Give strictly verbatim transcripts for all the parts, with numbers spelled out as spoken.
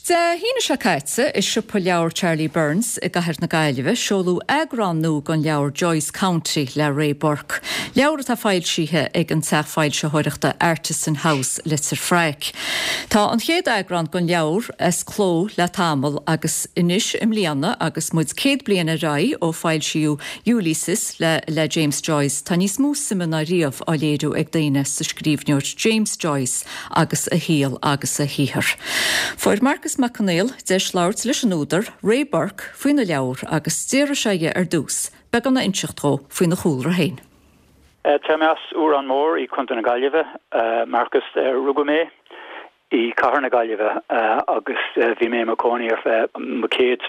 Dé hAoine seo caite i siopa leabhar Charlie Byrne's i gCathair na Gaillimhe seoladh eagrán nua den leabhar Joyce County le Ray Burke. Leabhar atá foilsithe ag an teach foilsitheoireachta Artisan House Leitir Fraic. Tá an chéad eagrán den leabhar as cló le tamall agus anois i mbliana agus muid céad bliain ar aghaidh ó foilsíodh Ulysses le, le James Joyce tá níos mó suime ná riamh á léiriú ag daoine sa scríbhneoir James Joyce agus a shaol agus a shaothar. Fuair Marcus Mac Conghail deis labhairt leis an údar Ray Burke faoina leabhar agus d'iarr sé air ar dtús, beagán a inseacht dó faoina chúlra féin. Tá mé as Órán Mór i gContae na Gaillimhe, Marcus rugadh mé i cathair na Gaillimhe agus bhí mé i mo chónaí ar feadh mo chéad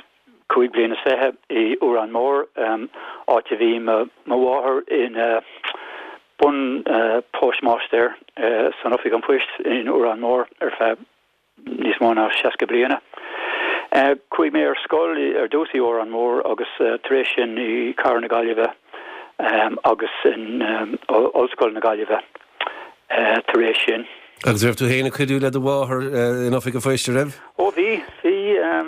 cúig bliana is fiche i Órán Mór áit a bhí mo mháthair ina bun postmaster san oifig an phoist in Órán Mór ar feadh níos mó ná seasca bliana. Chuaigh mé ar scoil ar dtús i Órán Mór agus tar éis sin i cathair na Gaillimhe agus in Ollscoil na Gaillimhe tar éis sin. Agus raibh tú féin ag cuidiú le do mháthair in oifig an phoist raibh? Ó bhí bhí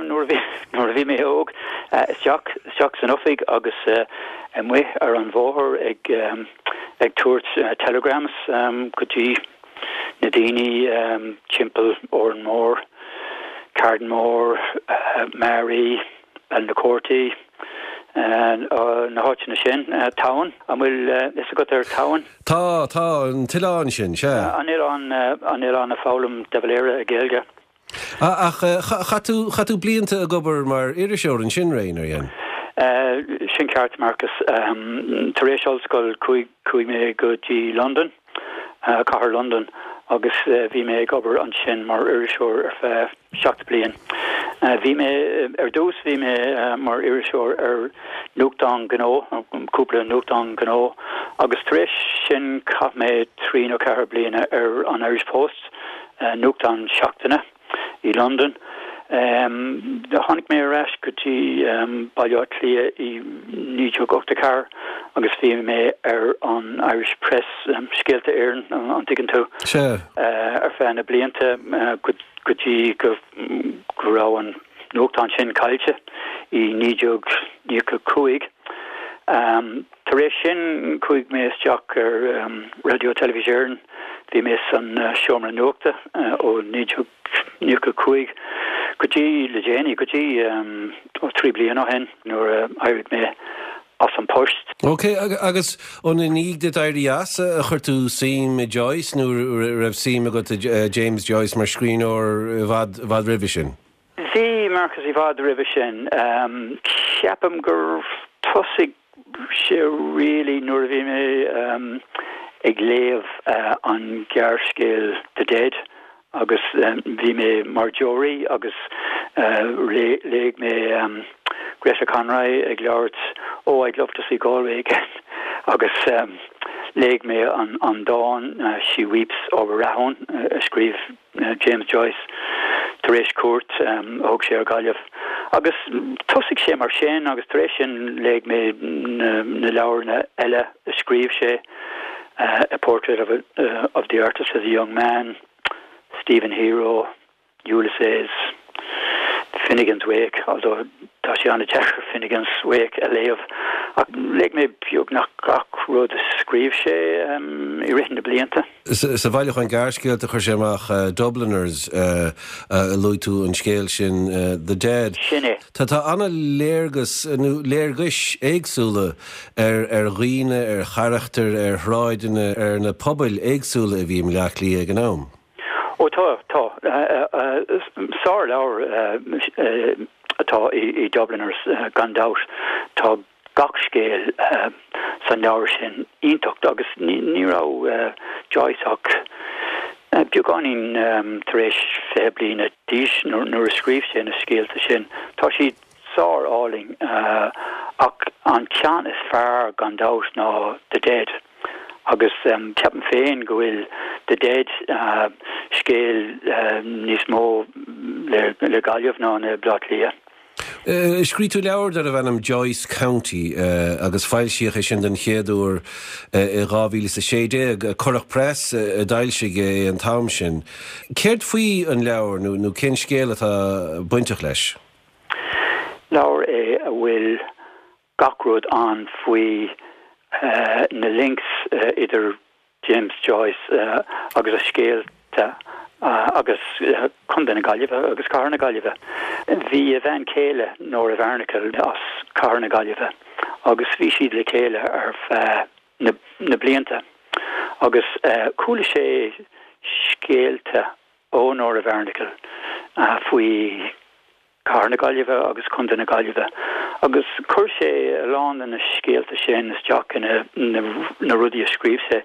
nuair bhí nuair a bhí mé óg isteach isteach san oifig agus amuigh ar an bhóthar ag ag tabhairt telegrams go dtí na daoine timpeall Órán Mór, Carnmore, Maree, Ballinacourty, na háiteanna sin Tamhain an bhfuil fhios agat ar Tamhain? Tá tá an t-oileán sin sé. An oileán an oileán a foghlaim de Valera i Gaeilge. Ach chaith tú chaith tú blianta ag obair mar iriseoir ansin Ray ar dhein? Sin ceart Marcus tar éis ollscoil chuaigh mé go dtí London, cathair London agus bhí mé ag obair ansin mar iriseoir ar feadh seacht bliain. Bhí mé ar dtús bhí mé mar iriseoir ar nuachtán gnó cúpla nuachtán gnó agus tar éis sin chaith mé trí nó ceathair bliana ar an Irish Post nuachtán seachtaine i London. Um, tháinig mé ar ais go dtí um, Baile Átha Cliath i naoi déag ochtó ceathair agus bhí mé ar an Irish Press um, Scéalta Éireann an dtuigeann tú Se. uh, ar feadh na blianta uh, go go dtí go go raibh an nuachtán sin caillte i naoi déag nócha cúig. Um, tar éis sin chuaigh mé isteach ar um, Radio Telefís Éireann, bhí mé san uh, seomra nuachta uh, ó naoi déag nócha cúig go dtí le déanaí go dtí um, ó trí bliana ó shin nuair uh, éirigh mé as an post. Ok agus an i ndiaidh duit éirí as a chuir tú suim i Joyce nó raibh suim agat James Joyce mar scríbhneoir i bhfad bhfad roimhe sin? Bhí Marcus i bhfad roimhe sin um, ceapaim gur thosaigh sé really nuair a bhí mé um, ag léamh uh, an gearrscéal The Dead agus um, bhí mé mar deoraí agus uh, léigh mé um, Greta Conroy ag labhairt oh I'd love to see Galway again agus um, léigh mé an, an dán uh, She Weeps over Rahoon uh, a scríobh uh, James Joyce tar éis cuairt um, thug sé ar Gaillimh. Agus thosaigh sé mar sin agus tar éis sin léigh mé na, na leabharna eile a scríobh sé uh, a portrait of, a, uh, of the artist as a young man, Stephen Hero, Ulysses, Finnegan's Wake, although tá sé an-deacair Finnegan's Wake a léamh ach léigh mé beagnach gach rud a scríobh sé um, i rith na blianta. Sa bhailiúchán gearrscéalta a chuir sé amach uh, Dubliners uh, uh, luaigh tú an scéal sin uh, The Dead. Sin é. Tá tá an-léargas nó léargais éagsúla ar ar dhaoine ar charachtair ar shráideanna ar na pobail éagsúla a bhí i mBaile Átha Cliath ag an am. Ó tá tá sárleabhar atá i, i Dubliners gan dabht tá gach scéal san leabhar sin iontach agus ní, ní raibh Joyce ach beagáinín tar éis fiche bliana d'aois nuair a scríobh sé na scéalta sin. Tá siad sárálainn ach an ceann is fearr gan dabht ná The Dead. agus um, ceapaim féin go bhfuil The Dead uh, scéal uh, níos mó le, le Gaillimh ná na Bleá Cliath. Scríobh tú leabhar darbh ainm Joyce County agus foilsíodh é sin den chéad uair i dhá mhíle is a sé déag. Currach Press a d'fhoilsigh é an t-am sin. Céard faoi an leabhar nó nó cén scéal atá bainteach leis? Leabhar é a bhfuil gach rud ann faoi na links idir James Joyce agus a scéalta agus Contae na Gaillimhe agus Cathair na Gaillimhe. Bhí a bhean chéile Nora Barnacle as Cathair na Gaillimhe agus bhí siad le chéile ar feadh na, na blianta. Agus chuala sé scéalta ó Nora Barnacle faoi Cathair na Gaillimhe agus Contae na Gaillimhe agus chuir sé a lán de na scéalta sin isteach ina na rudaí a scríobh sé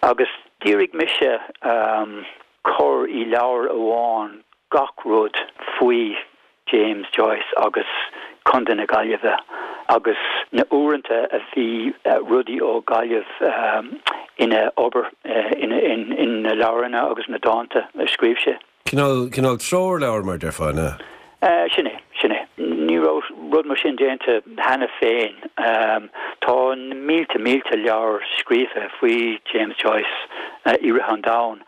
agus d'iarraidh mise um, cur i leabhar amháin gach rud faoi James Joyce agus Contae na Gaillimhe agus na uaireanta a bhí uh, rudaí ó Gaillimh um, ina obair uh, ina in, in na leabhranna agus na dánta a scríobh sé. Cineál cineál treoirleabhar mar déarfá ná? Uh, sin é, sin é. Ní raibh rud mar sin déanta cheana féin. Um, tá mílte mílte leabhar scríofa faoi James Joyce uh, i rith an domhain,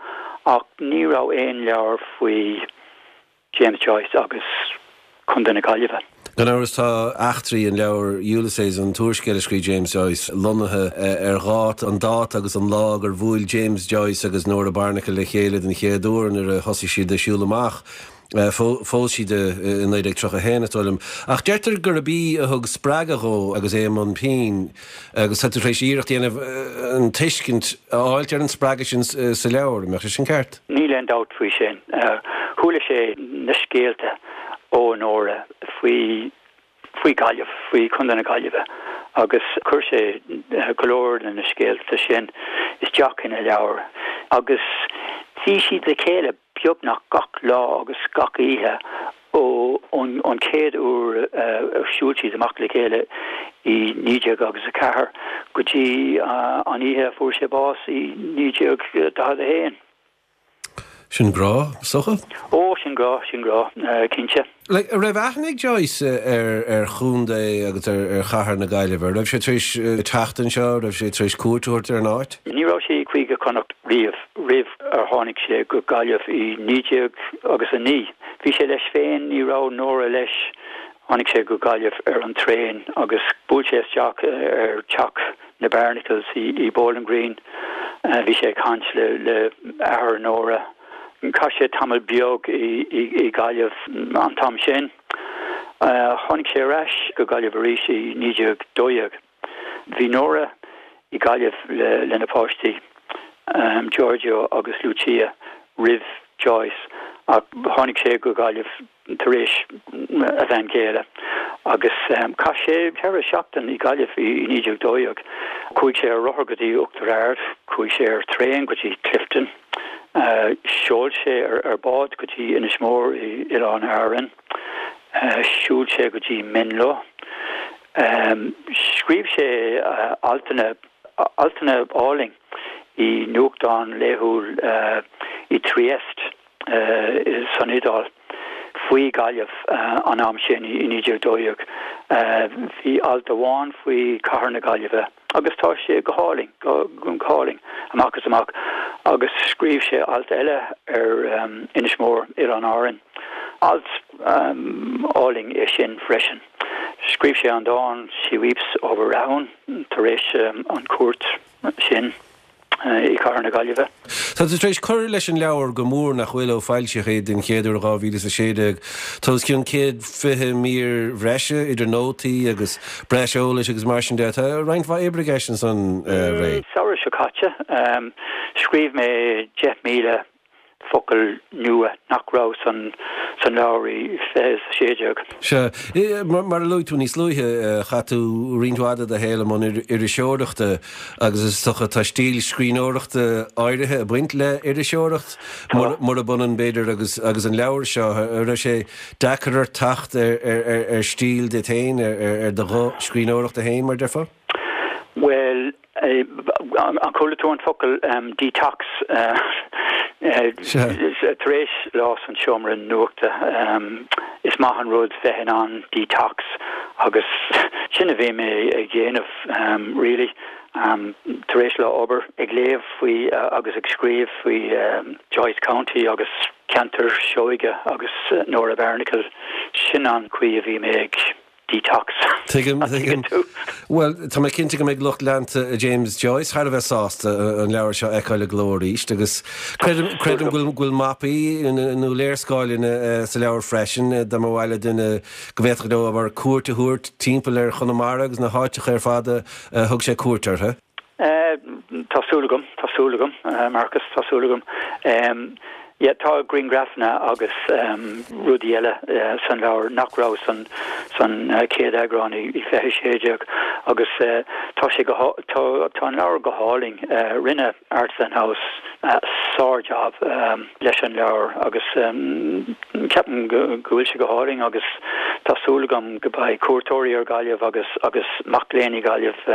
ach ní raibh aon leabhar faoi James Joyce agus Contae na Gaillimhe. Gan amhras tá eachtraí an leabhar Ulysses an t-úrscéal a scríobh James Joyce lonnaithe ar dhát an dáta agus an lá gur bhuail James Joyce agus Nora Barnacle le chéile den chéad uair nuair a thosaigh siad ag siúl amach. Phós siad i naoi déag tríocha haon is dóigh liom. Ach deirtear gurb í a thug spreagadh dhó agus é i mbun pinn agus tá tú tar éis iarracht a dhéanamh an tuiscint a fháilt ar an spreagadh sin sa leabhar, an mbeadh sé sin ceart? Níl aon dabht faoi sin. Chuala sé na scéalta ó Nora faoi faoi Gaillimh, faoi Contae na Gaillimhe agus chuir sé go leor de na scéalta sin isteach ina leabhar agus bhí siad le chéile beagnach gach lá agus gach oíche ó an chéad uair a shiúil siad amach le chéile i naoi déag agus a ceathair go dtí an oíche a fuair sé bás i naoi déag daichead a haon. Sin grá, is dócha? Ó, sin grá, sin grá, cinnte. Like, raibh aithne ag Joyce ar ar chontae agus ar ar chathair na Gaillimhe, raibh sé tar éis teacht anseo, raibh sé tar éis cuairt a thabhairt ar an áit? Ní raibh sé i gCúige Chonnacht riamh roimh ar tháinig sé go Gaillimh i naoi déag agus a naoi. Bhí sé leis féin, ní raibh Nora leis. Tháinig sé go Gaillimh ar an traein agus bhuail sé isteach ar teach na Barnacles i, i Bowling Green. Bhí sé ag caint le le athair Nora. Chaith sé tamall beag i, i, i Gaillimh an t-am sin. Tháinig sé ar ais go Gaillimh arís i naoi déag dó dhéag. Bhí Nora i Gaillimh le, lena páistí, um, Giorgio agus Lucia roimh Joyce ach tháinig sé go Gaillimh tar éis a bhean chéile agus um, chaith sé ceithre seachtain i Gaillimh i, i naoi déag dó dhéag. Chuaigh sé ar rothar go dtí Uachtar Ard, chuaigh sé ar traein go dtí Clifden, uh, sheol sé ar, ar bád go dtí Inis Mór i Oileáin Árann, uh, shiúil sé go dtí Menlo. Um, scríobh sé uh, altanna altanna álainn i nuachtán laethúil uh, i Trieste uh, san Iodáil faoi Gaillimh uh, an am sin i naoi déag dó dhéag. Uh, bhí alt amháin faoi cathair na Gaillimhe agus tá sé go hálainn go, go hálainn amach is amach agus scríobh sé alt eile ar um, Inis Mór Oileáin Árann. Alt um, álainn é sin freisin. Scríobh sé an dán She Weeps Over Rahoon tar éis um, an cuairt sin i cathair na Gaillimhe. Tá tú tar éis cur leis an leabhar go mór nach bhfuil ó foilsíodh é den chéad uair dhá mhíle is a sé déag. Tá os cionn céad fiche mír bhreise idir nótaí agus breis eolais agus mar sin de. Tá roinnt mhaith oibre i gceist ansan Ray. Samhradh seo caite, um, scríobh mé deich míle focal nua nach raibh san san leabhar i fiche a sé déag. Sea, mar mar a luaigh tú níos luaithe, chaith tú roinnt mhaith de do shaol i mbun iriseoireachta agus is dócha tá stíl scríbhneoireachta áirithe ag baint le iriseoireacht murab ionann b'fhéidir agus agus an leabhar seo, an raibh sé deacair ort teacht ar ar ar ar stíl duit féin, ar ar do ghuth scríbhneoireachta féin mar déarfá? Well, An chuala tú an focal detox? Tar éis lá san seomra nuachta is maith an rud bheith in ann detox agus sin a bhí mé ag déanamh really. Tar éis lá obair ag léamh faoi agus ag scríobh faoi Joyce County agus ceantar Seoige agus Nora Barnacle, sin an chaoi a bhí mé ag detox. Tuigim, tuigim. Bhuel, tá mé cinnte go mbeidh lucht leanta James Joyce thar a bheith sásta an leabhar seo a fheiceáil i gcló arís agus creidim go bhfuil go bhfuil mapaí nó léarscáileanna sa leabhar freisin dá mba mhaith le duine go bhféadfadh leo abair cuairt a thabhairt timpeall ar Chonamara agus na háiteacha ar fad a thug sé cuairt orthu. Tá súil agam, tá súil agam, Marcus, tá súil agam. Yeah, tá grianghrafanna agus rudaí eile san leabhar nach raibh san san chéad eagrán i fiche sé déag agus tá sé go tá tá an leabhar go hálainn. Rinne Artisan House sár-job leis an leabhar agus ceapaim go bhfuil sé go hálainn agus tá súil agam go mbeidh cuairteoirí ar Gaillimh agus agus mac léinn i Gaillimh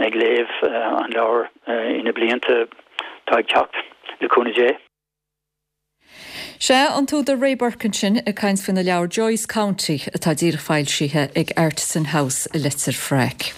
ag léamh an leabhar ina blianta atá ag teacht le cúnamh Dé. Sé an t-údar Ray Burke ansin ag caint faoina leabhar Joyce County atá díreach foilsithe ag Artisan House i Leitir Fraic.